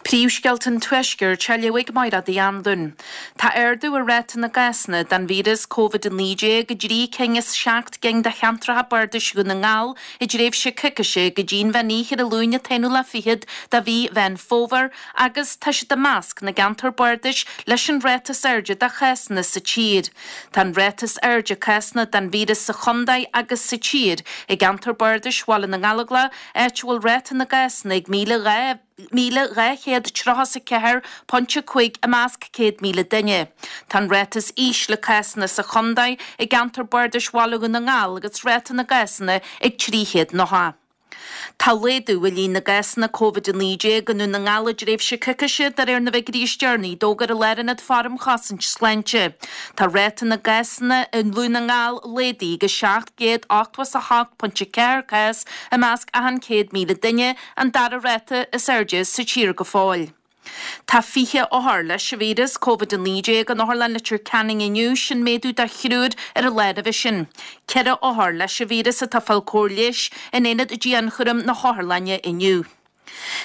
Príomhscéalta an Tuaiscirt á léamh ag Mairéad Uí Anluain. Tá ardú ar ráta na gcásanna den víreas Covid-19 i dtrí cinn as seacht gcinn de cheantracha bardais Dhún na nGall i dtréimhse coicíse go dtí'n mheán oíche ar an Luan an t-aonú lá fichead de mhí Mheán Fómhair agus tá siad i measc na gceantar bardais leis an ráta is airde de chásanna sa tír. Tá an ráta is airde cásanna den víreas sa chontae agus sa tír i gceantar bardais Bhaile na nGallóglach, áit a bhfuil ráta na gcásanna ag 1,234.5 i measc 100,000 duine. Tá an ráta is ísle cásanna sa chontae i gceantar bardais Bhaile Dhún na nGall agus ráta na gcásanna ag 390. Tá laghdú i líon na gcásanna Covid-19 i nDún na nGall i dtréimhse coicíse, de réir na bhfigiúirí is deireanaí a d'fhógair an Lárionad Faire um Chosaint Sláinte. Tá ráta na gcásanna i nDún na nGall laghdaithe go 788.4 cás i measc achan 100,000 duine, an dara ráta is airde sa tír go fóill. Tá 20 othar leis an víreas Covid-19 in Otharlann Leitir Ceanainn inniu, sin méadú de thriúr ar an lá roimhe sin. Ceithre othar leis an víreas atá ag fáil cóir leighis in aonad dianchúraim na hotharlainne inniu.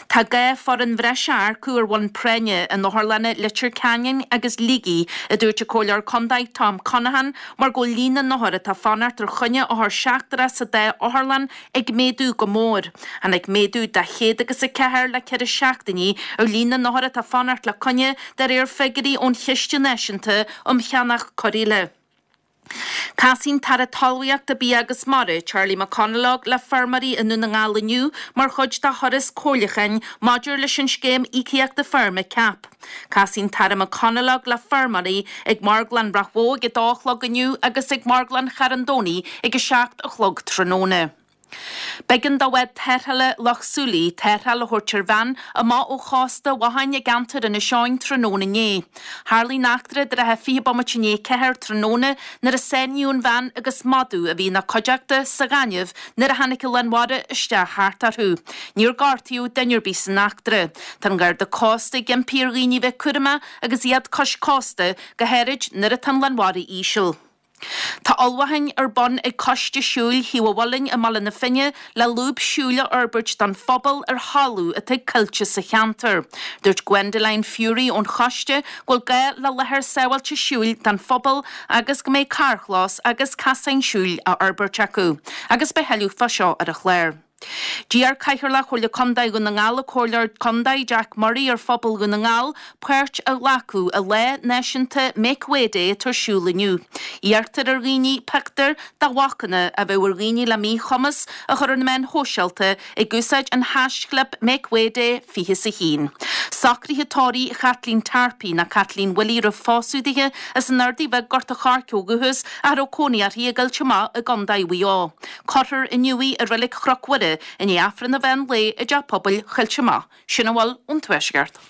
Tá gá foireann bhreise a earcú ar bhonn práinne in otharlanna Leitir Ceanainn agus Shligigh, a dúirt an Comhairleoir Contae Tom Conaghan, mar go bhfuil líon na n-othar atá ag fanacht ar choinne othar seachtrach sa dá otharlann ag méadú go mór. Tháinig méadú de chéad agus 4 le ceithre seachtainí ar líon na n-othar atá ag fanacht le coinne, de réir figiúirí ón Chiste Náisiúnta um Cheannach Cóireála. Casfaidh an tAire Talmhaíochta, Bia agus Mara, Charlie McConalogue le feirmeoirí i nDún na nGall inniu mar chuid dá thuras comhairliúcháin maidir leis an scéim íocaíochta feirme CAP. Casfaidh an tAire McConalogue le feirmeoirí ag Marglann Ráth Bhoth ag 2 a chlog inniu agus ag Marglann Charn Domhnaigh ag 7 a chlog tráthnóna. B'éigean do bhád tarrthála Loch Súilí tarrtháil a thabhairt ar bhean amach ó chósta Bhothán i gceantar Inis Eoghain tráthnóna inné. Tharlaigh an eachtra i dtrátha 20 bomaite i ndiaidh 4 tráthnóna nuair a sáinníodh an bhean agus madadh a bhí ina cuideachta sa ghaineamh nuair a tháinig an lán mhara isteach thart orthu. Níor gortaíodh duine ar bith san eachtra. Tá an Garda Cósta ag impí ar dhaoine bheith cúramach agus iad cois cósta, go háirid nuair atá an lán mhara íseal. Tá ullmhúcháin ar bun ag Coiste Siúil Thaobh an Mhuilinn i mBaile na Finne le lúb siúil a fhorbairt don phobal ar thalamh atá ag coillte sa cheantar. Dúirt Gwendoline Furey ón choiste go bhfuil gá le láthair sábháilte siúil don phobal agus go mbeidh carrchlós agus casáin siúil á fhorbairt acu. Agus beidh thuilleadh fá seo ar an chlár. D'iarr Cathaoirleach Chomhairle Contae Dhún na nGall, an Comhairleoir Contae Jack Murray ar phobal Dhún na nGall páirt a ghlacadh i Lá Náisiúnta Make Way Day atá ar siúl inniu. Iarrtar ar dhaoine pictiúir de bhacanna a bheadh ar dhaoine le míchumas a chur ar na meáin shóisialta ag úsáid an haischlib MakeWayDay 21. Socruithe tórraimh Chaitlín Tarpey nó Caitlín Willie roimh phósadh dithe as an Ardaidh Bheag Gort a' Choirce ó dhúchas ach a raibh cónaí uirthi i gCoillte Mach i gContae Mhaigh Eo. Cuirfear inniu í i Reilig Chnoc Mhuire i ndiaidh Aifreann an mheán lae i dTeach Pobail Choillte Mach. Sin a bhfuil ón Tuaisceart.